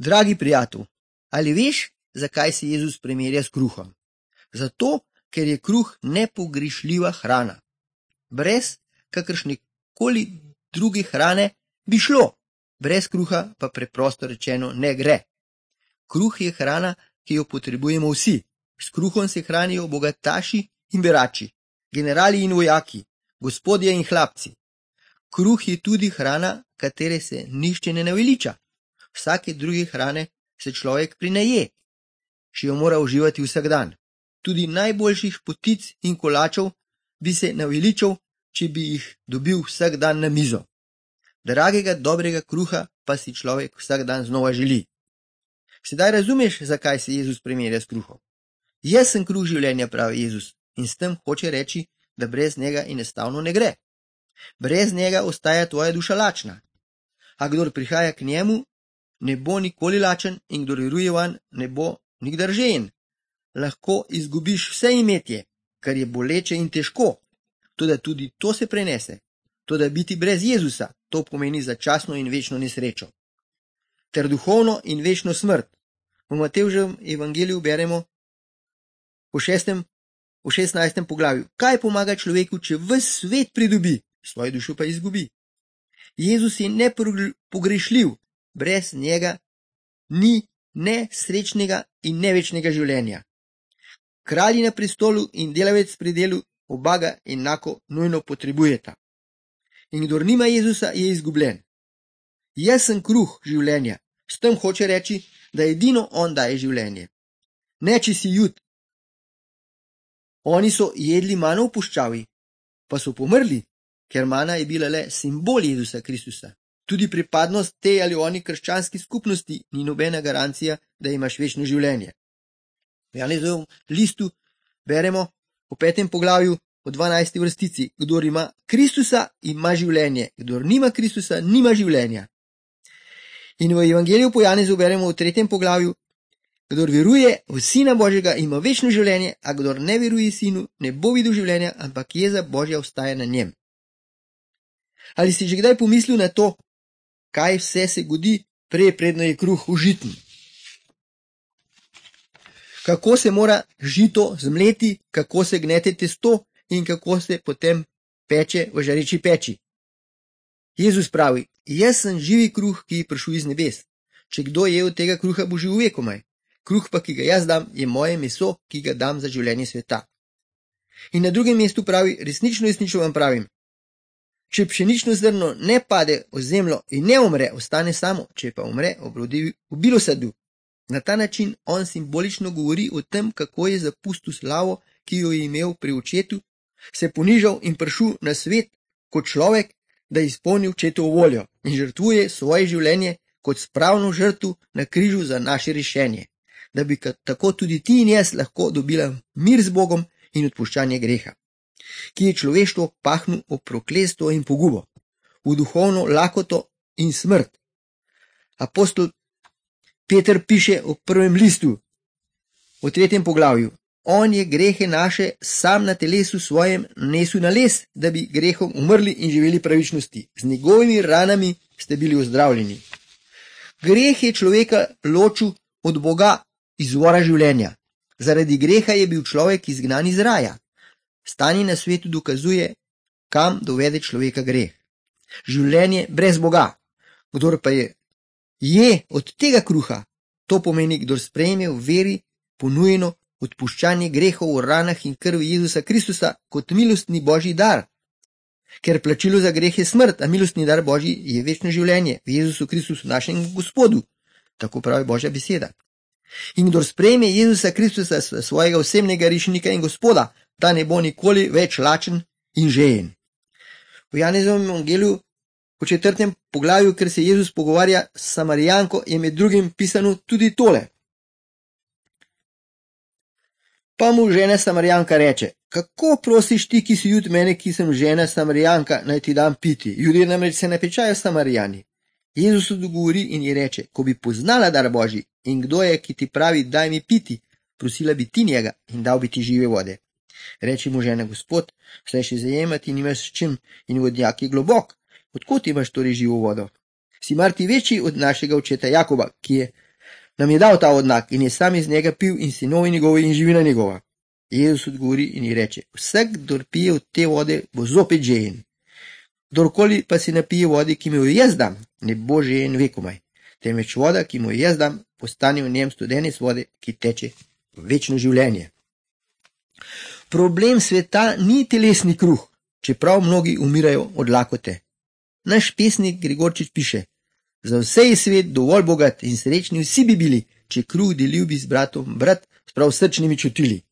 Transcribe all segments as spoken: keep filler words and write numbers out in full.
Dragi prijatelj, ali veš, zakaj se Jezus primerja s kruhom? Zato, ker je kruh nepogrišljiva hrana. Brez kakršnekoli druge hrane bi šlo, brez kruha pa preprosto rečeno ne gre. Kruh je hrana, ki jo potrebujemo vsi. S kruhom se hranijo bogataši in berači, generali in vojaki, gospodje in hlapci. Kruh je tudi hrana, katere se nišče ne naveliča. Vsake druge hrane se človek prinaje, če jo mora uživati vsak dan. Tudi najboljših potic in kolačev bi se naveličal, če bi jih dobil vsak dan na mizo. Dragega, dobrega kruha pa si človek vsak dan znova želi. Sedaj razumeš, zakaj se Jezus primerja s kruhom. Jaz sem kruh življenja, pravi Jezus, in s tem hoče reči, da brez njega enostavno ne gre. Brez njega ostaja tvoja duša lačna. A kdor prihaja k njemu, ne bo nikoli lačen, in kdor veruje vanj, ne bo nikdar žejen. Lahko izgubiš vse imetje, kar je boleče in težko, toda tudi to se prenese. Toda biti brez Jezusa, to pomeni začasno in večno nesrečo. Ter duhovno in večno smrt. V Matevževem evangeliju beremo v šestem, v šestnajstem poglavju. Kaj pomaga človeku, če ves svet pridobi, svojo dušo pa izgubi? Jezus je nepogrešljiv, brez njega ni ne srečnega in ne večnega življenja. Kralji na prestolu in delavec pri delu oba ga enako nujno potrebujeta. In kdor nima Jezusa, je izgubljen. Jaz sem kruh življenja, s tem hoče reči, da edino on daje življenje. Ne, če si Jud. Oni so jedli mano v puščavi, pa so pomrli, ker mana je bila le simbol Jezusa Kristusa. Tudi pripadnost tej ali oni krščanski skupnosti ni nobena garancija, da imaš večno življenje. V Janezovem listu beremo v petem poglavju v dvanajsti vrstici. Kdor ima Kristusa, ima življenje. Kdor nima Kristusa, nima življenja. In v evangeliju po Janezu beremo v tretjem poglavju. Kdor veruje v Sina Božjega, ima večno življenje, a kdor ne veruje Sinu, ne bo videl življenja, ampak jeza Božja ostaja na njem. Ali si že kdaj pomislil na to, kaj vse se godi, prej predno je kruh užiten? Kako se mora žito zmleti, kako se gnete testo in kako se potem peče v žareči peči. Jezus pravi, jaz sem živi kruh, ki je prišel iz nebes. Če kdo je od tega kruha, bo živel vekomaj. Kruh pa, ki ga jaz dam, je moje meso, ki ga dam za življenje sveta. In na drugem mestu pravi, resnično, resnično vam pravim, če pšenično zrno ne pade v zemljo in ne umre, ostane samo, če pa umre, obrodi v bilosadu. Na ta način on simbolično govori o tem, kako je zapustil slavo, ki jo je imel pri očetu, se ponižal in prišel na svet kot človek, da je izpolnil očetovo voljo in žrtvuje svoje življenje kot spravno žrtev na križu za naše rešenje, da bi tako tudi ti in jaz lahko dobila mir z Bogom in odpuščanje greha, ki je človeštvo pahnil v prokletstvo in pogubo, v duhovno lakoto in smrt. Apostol Peter piše v prvem listu, v tretjem poglavju, on je grehe naše sam na telesu svojem nesel na les, da bi grehom umrli in živeli pravičnosti. Z njegovimi ranami ste bili ozdravljeni. Greh je človeka ločil od Boga, izvora življenja. Zaradi greha je bil človek izgnan iz raja. Stanje na svetu dokazuje, kam dovede človeka greh. Življenje brez Boga. Kdor pa je je od tega kruha, to pomeni, kdor sprejme v veri ponujeno odpuščanje grehov v ranah in krvi Jezusa Kristusa kot milostni Božji dar. Ker plačilo za greh je smrt, a milostni dar Božji je večno življenje v Jezusu Kristusu, našem Gospodu. Tako pravi Božja beseda. In kdor sprejme Jezusa Kristusa, svojega osebnega rešenika in Gospoda, ta ne bo nikoli več lačen in žejen. V Janezovem evangeliju v četrtem poglavju, ker se Jezus pogovarja s Samarijanko, je med drugim pisano tudi tole. Pa mu žena Samarijanka reče, kako prosiš ti, ki si Jud, mene, ki sem žena Samarijanka, naj ti dam piti? Ljudje namreč se napečajo Samarijani. Jezus odgovori in ji reče, ko bi poznala dar Božji in kdo je, ki ti pravi, daj mi piti, prosila bi ti njega in dal bi ti žive vode. Reče mu žena, Gospod, saj še zajemati nimaš s čim in vodnjak je globok. Odkot imaš torej živo vodo? Si mar ti večji od našega očeta Jakoba, ki je nam je dal ta odnak in je sam iz njega pil in sinovi njegovi in živina njegova. Jezus odgovori in ji reče, vsak, kdor pije od te vode, bo zopet žejen. Kdorkoli pa si napije vode, ki mi jo jaz dam, ne bo žejen vekomaj, temveč voda, ki mu jo jaz dam, postane v njem studenec vode, ki teče v večno življenje. Problem sveta ni telesni kruh, čeprav mnogi umirajo od lakote. Naš pesnik Gregorčič piše, za vse je svet dovolj bogat in srečni vsi bi bili, če kruh delil bi z bratom brat s prav srčnimi čutili.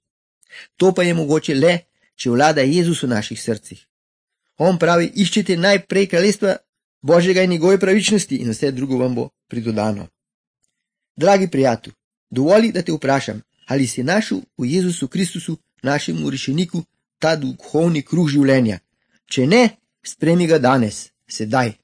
To pa je mogoče le, če vlada Jezus v naših srcih. On pravi, iščite najprej kraljestva Božjega in njegove pravičnosti in vse drugo vam bo pridodano. Dragi prijatelj, dovoli, da te vprašam, ali si našel v Jezusu Kristusu, našemu rešeniku, ta duhovni kruh življenja. Če ne, sprejmi ga danes, sedaj.